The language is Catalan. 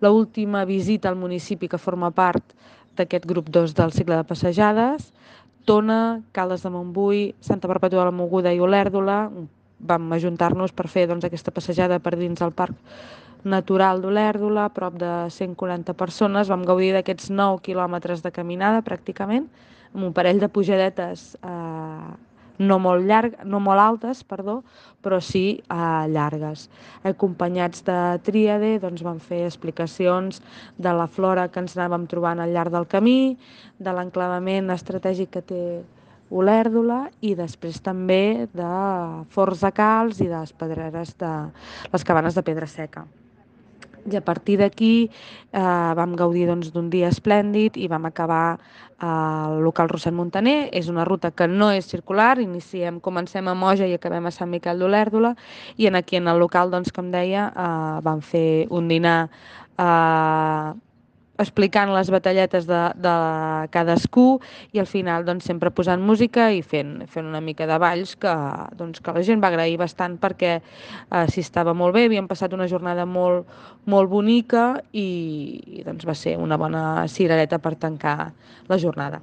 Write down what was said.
l'última visita al municipi que forma part d'aquest grup 2 del cicle de passejades. Tona, Caldes de Montbui, Santa Perpètua de la Mogoda i Olèrdola. Vam ajuntar-nos per fer aquesta passejada per dins del Parc Natural d'Olèrdola, prop de 140 persones. Vam gaudir d'aquests 9 quilòmetres de caminada, pràcticament, amb un parell de pujadetes no molt altes, però sí llargues. Acompanyats de tríade, doncs vam fer explicacions de la flora que ens anàvem trobant al llarg del camí, de l'enclavament estratègic que té Olèrdola i després també de Forns de Calç i de les pedreres de les cabanes de Pedra Seca. I a partir d'aquí vam gaudir d'un dia esplèndid i vam acabar al local Rossend Montaner. És una ruta que no és circular, comencem a Moja i acabem a Sant Miquel d'Olèrdola, i aquí en el local, com deia, vam fer un dinar explicant les batalletes de cadascú i al final sempre posant música i fent una mica de balls que la gent va agrair bastant perquè s'hi estava molt bé, havíem passat una jornada molt, molt bonica i va ser una bona cirereta per tancar la jornada.